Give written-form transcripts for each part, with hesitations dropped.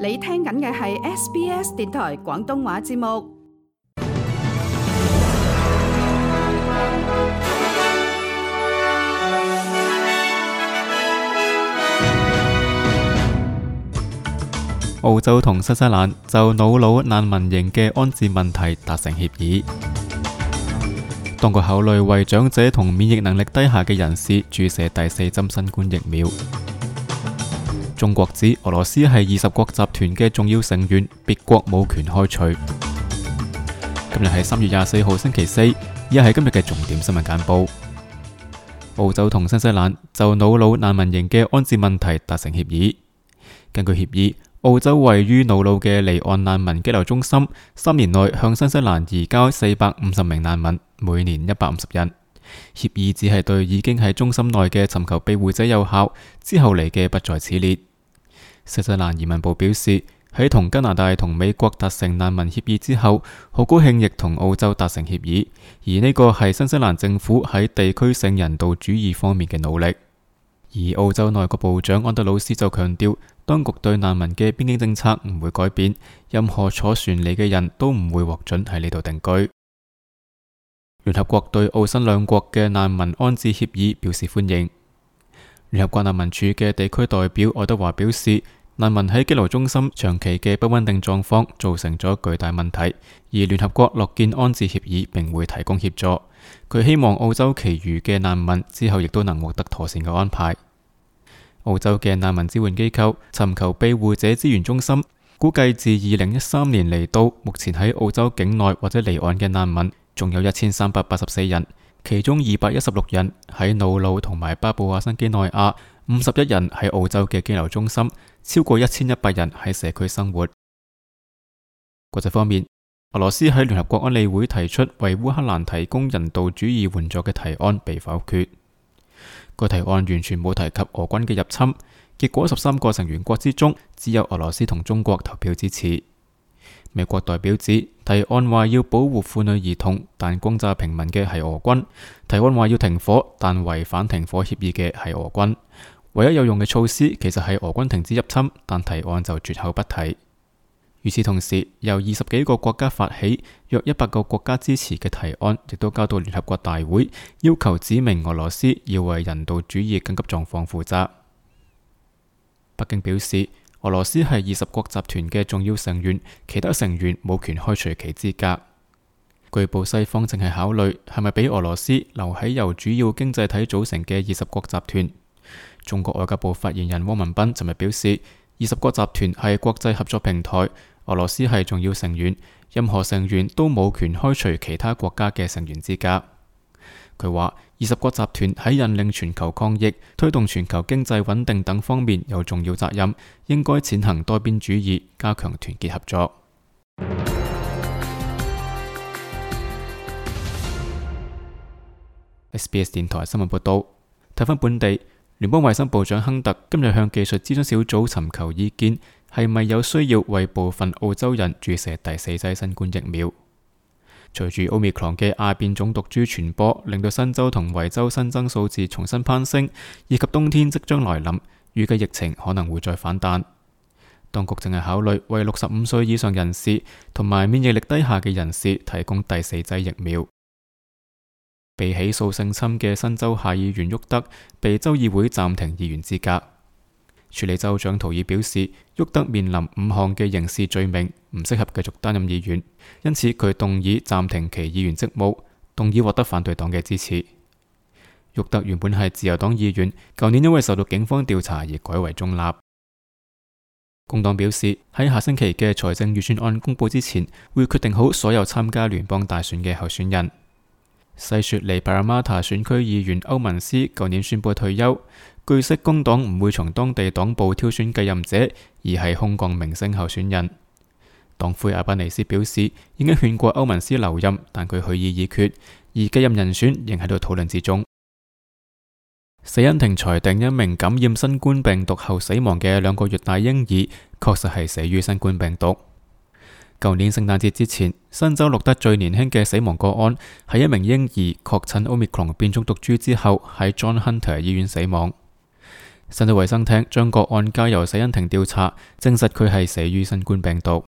你聽緊嘅係 SBS 電台廣東話節目。澳洲同新西蘭就瑙魯難民營嘅安置問題達成協議，當局考慮為長者同免疫能力低下嘅人士注射第4針新冠疫苗。中國指俄羅斯係20國集團嘅重要成員，別國冇權開除。今日係3月24號星期四，以下係今日嘅重點新聞簡報。澳洲同新西蘭就瑙魯難民營嘅安置問題達成協議。根據協議，澳洲位於瑙魯嘅離岸難民羈留中心3年內向新西蘭移交450名難民，每年150人。協議只係對已經喺中心內嘅尋求庇護者有效，之後嚟嘅不在此列。新西蘭移民部表示，喺同加拿大同美國達成難民協議之後，好高興亦同澳洲達成協議，而呢個係新西蘭政府喺地區性人道主義方面嘅努力。而澳洲內閣部長安德魯斯就強調，當局對難民嘅邊境政策唔會改變，任何坐船嚟嘅人都唔會獲准喺呢度定居。聯合國對澳新兩國嘅難民安置協議表示歡迎。聯合國難民署嘅地區代表愛德華表示，難民喺羈留中心長期嘅不穩定狀況造成咗巨大問題，而聯合國樂見安置協議並會提供協助。佢希望澳洲其餘嘅難民之後亦都能獲得妥善嘅安排。澳洲嘅難民支援機構尋求庇護者資源中心估計，自2013年嚟到目前喺澳洲境內或者離岸嘅難民仲有1384人，其中216人喺瑙魯同埋巴布亞新幾內亞，51人喺澳洲嘅羈留中心，超過1100人喺社區生活。國際方面，俄羅斯喺聯合國安理會提出為烏克蘭提供人道主義援助嘅提案被否決。該提案完全冇提及俄軍嘅入侵，結果13個成員國之中只有俄羅斯同中國投票支持。美國代表指提案話要保護婦女兒童，但轟炸平民嘅係俄軍；提案話要停火，但違反停火協議嘅係俄軍。唯一有用嘅措施其實係俄軍停止入侵，但提案就絕口不提。與此同時，由20幾個國家發起、約100個國家支持嘅提案，亦都交到聯合國大會，要求指明俄羅斯要為人道主義緊急狀況負責。北京表示，俄羅斯係20國集團嘅重要成員，其他成員冇權開除其資格。據報西方正係考慮係咪俾俄羅斯留喺由主要經濟體組成嘅20國集團。中國外交部發言人汪文斌尋日表示，20國集團係國際合作平台，俄羅斯係重要成員，任何成員都冇權開除其他國家嘅成員資格。佢話，20國集團喺引領全球抗疫、推動全球經濟穩定等方面有重要責任，應該踐行多邊主義，加強團結合作。SBS 電台新聞報道，睇返本地，聯邦衛生部長亨特今日向技術諮詢小組尋求意見，係咪有需要為部分澳洲人注射第4劑新冠疫苗？隨住 Omicron 嘅亞變種毒株傳播，令到新州同維州新增數字重新攀升，以及冬天即將來臨，預計疫情可能會再反彈。當局正係考慮為65歲以上人士同埋免疫力低下嘅人士提供第4劑疫苗。被起訴性侵嘅新州下議員沃德被州議會暫停議員資格。處理州長圖爾表示，沃德面臨5項嘅刑事罪名，唔適合繼續擔任議員，因此佢動議暫停其議員職務，動議獲得反對黨嘅支持。沃德原本係自由黨議員，舊年因為受到警方調查而改為中立。工黨表示喺下星期嘅財政預算案公佈之前，會決定好所有參加聯邦大選嘅候選人。西雪梨帕拉馬塔選區議員歐文斯舊年宣布退休，據悉工黨唔會從當地黨部挑選繼任者，而係空降明星候選人。黨魁阿巴尼斯表示已經勸過歐文斯留任，但佢去意已決，而繼任人選仍喺度討論之中。死因庭裁定一名感染新冠病毒後死亡嘅2個月大嬰兒確實係死於新冠病毒。舊年聖誕節之前，新州錄得最年輕嘅死亡個案係一名嬰兒確診 Omicron 變種毒株之後喺 John Hunter 醫院死亡。身體衛生廳將個案交由死因庭調查，證實佢係死於新冠病毒。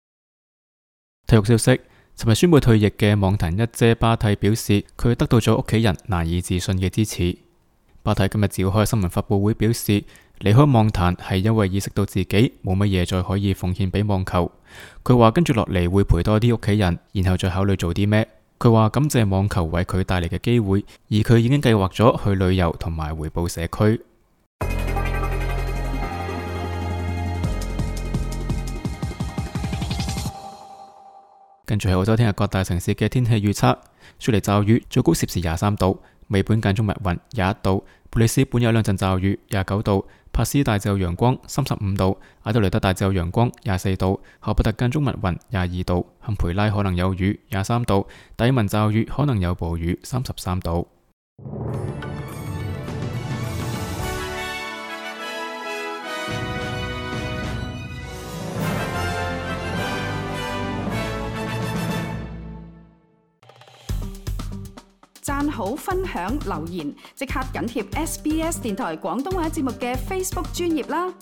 體育消息，尋日宣布退役嘅網壇一姐巴蒂表示，佢得到咗屋企人難以置信嘅支持。巴蒂今日召開新聞發佈會，表示離開網壇係因為意識到自己冇乜嘢再可以奉獻俾網球。佢話跟住落嚟會陪多啲屋企人，然後再考慮做啲咩。佢話感謝網球為佢帶嚟嘅機會，而佢已經計劃咗去旅遊同埋回報社區。跟住係澳洲聽日各大城市嘅天氣預測：雪梨驟雨，最高攝氏23度；墨爾本間中密雲21度；布里斯本有兩陣驟雨29度；帕斯大致有陽光35度；阿德雷德大致有陽光24度；荷伯特間中密雲22度；坎培拉可能有雨23度；達爾文驟雨可能有暴雨33度。讚好、分享、留言，即刻緊貼SBS 電台廣東話節目嘅 Facebook 專頁啦！